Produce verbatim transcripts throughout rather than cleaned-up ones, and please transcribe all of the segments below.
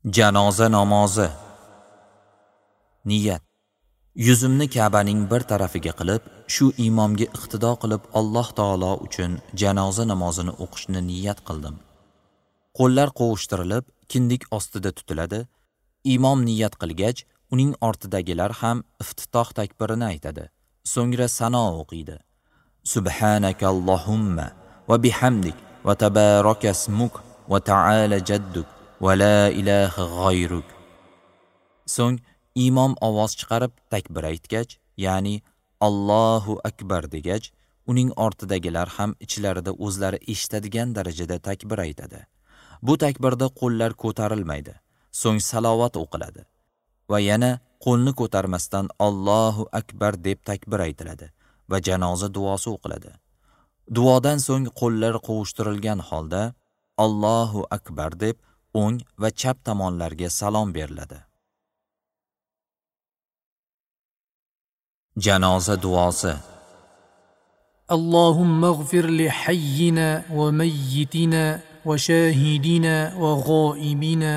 Janoza namozi. Niyat. Yuzimni Ka'baning bir tarafiga qilib, shu imomga iqtido qilib Alloh taolo uchun janoza namozini o'qishni niyat qildim. Qo'llar qovushtirilib, kindik ostida tutiladi. Imom niyat qilgach, uning ortidagilar ham iftitoh takbirini aytadi. So'ngra sano o'qiydi. Subhanaka Allohumma va bihamdik va tabaraka ismuk va ta'ala jadduk va la ilaha g'ayruk. So'ng imom ovoz chiqarib takbir aytgach, ya'ni Allohu akbar degach, uning ortidagilar ham ichlarida o'zlari eshitadigan darajada takbir aytadi. Bu takbirda qo'llar ko'tarilmaydi. So'ng salovat o'qiladi va yana qo'lni ko'tarmasdan Allohu akbar deb takbir aytiladi va janoza duosi o'qiladi. Duodan so'ng qo'llar qovushtirilgan holda Allohu akbar deb o'ng va chap tomonlarga salom beriladi. Janoza duosi. Allohumma ighfir li hayyina va mayyitina va shahidina va g'oibina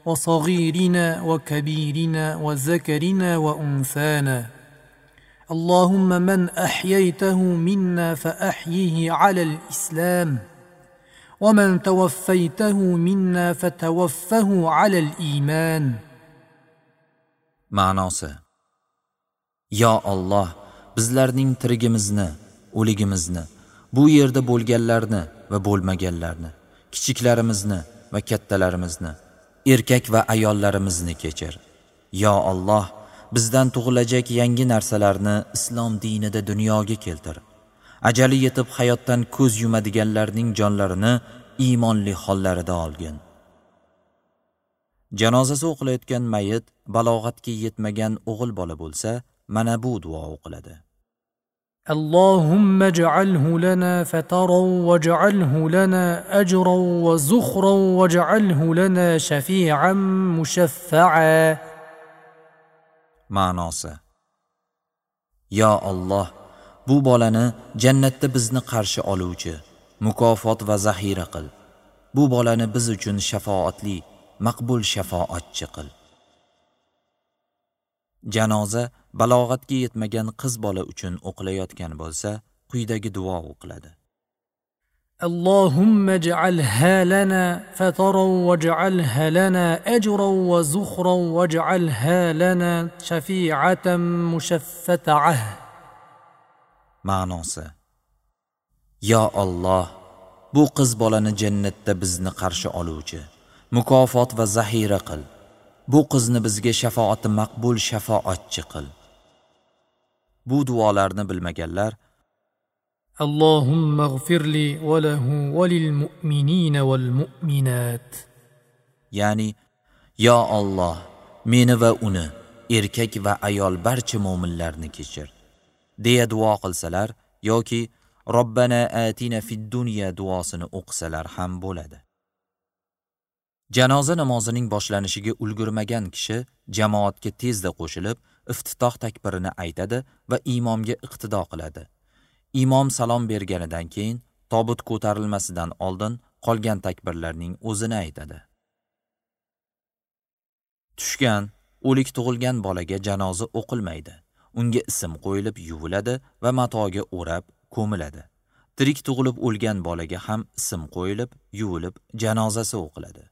va saghirina va kabirina va zakarina va unsana. Allohumma man ahyaytahu minna fa ahyihi ala al-islam va man tawaffaytahu minna fatawaffahu ala al-iman. Ma'nosi: Yo Alloh, bizlarning tirigimizni, o'ligimizni, bu yerda bo'lganlarni va bo'lmaganlarni, kichiklarimizni va kattalarimizni, erkak va ayollarimizni kechir. Yo Alloh, bizdan tug'ilajak yangi narsalarni islom dinida dunyoga keltir. Ajali yetib hayotdan ko'z yumadiganlarning jonlarini iymonli hollarida olgin. Janozasi o'qilayotgan mayit balog'atga yetmagan o'g'il bola bo'lsa, mana bu duo o'qiladi. Allohumma ij'alhu lana fataran waj'alhu lana ajran wa zukhran waj'alhu lana shafi'an mushaffa'a. Ma'nosi: Yo Alloh, bu bolani jannatda bizni qarshi oluvchi, mukofot va zaxira qil. Bu bolani biz uchun shafoatli, maqbul shafoatchi qil. Janoza balog'atga yetmagan qiz bola uchun o'qilayotgan bo'lsa, quyidagi duo o'qiladi. Allohumma ij'alha lana fataran waj'alha lana ajran wa zukhran waj'alha lana shafi'atan mushaffa'ah. Ma'nosi: Yo Alloh, bu qiz bolani jannatda bizni qarshi oluvchi, mukofot va zaxira qil. Bu qizni bizga shafoati maqbul shafoatchi qil. Bu duolarni bilmaganlar Allohumma ighfir li va lahu va lil mu'minina wal mu'minat, ya'ni Yo Alloh, meni va uni, erkak va ayol barcha mo'minlarni kechir deya duo qilsalar yoki Robbana atina fid dunya duosini o'qisalar ham bo'ladi. Janoza namozining boshlanishiga ulgurmagan kishi jamoatga tezda qo'shilib, iftitoh takbirini aytadi va imomga iqtido qiladi. Imom salom berganidan keyin tobut ko'tarilmasidan oldin qolgan takbirlarning o'zini aytadi. Tushgan, o'lik tug'ilgan bolaga janoza o'qilmaydi. Unga ism qo'yilib yuviladi va matoga o'rab ko'miladi. Tirik tug'ilib o'lgan bolaga ham ism qo'yilib, yuvilib janozasi o'qiladi.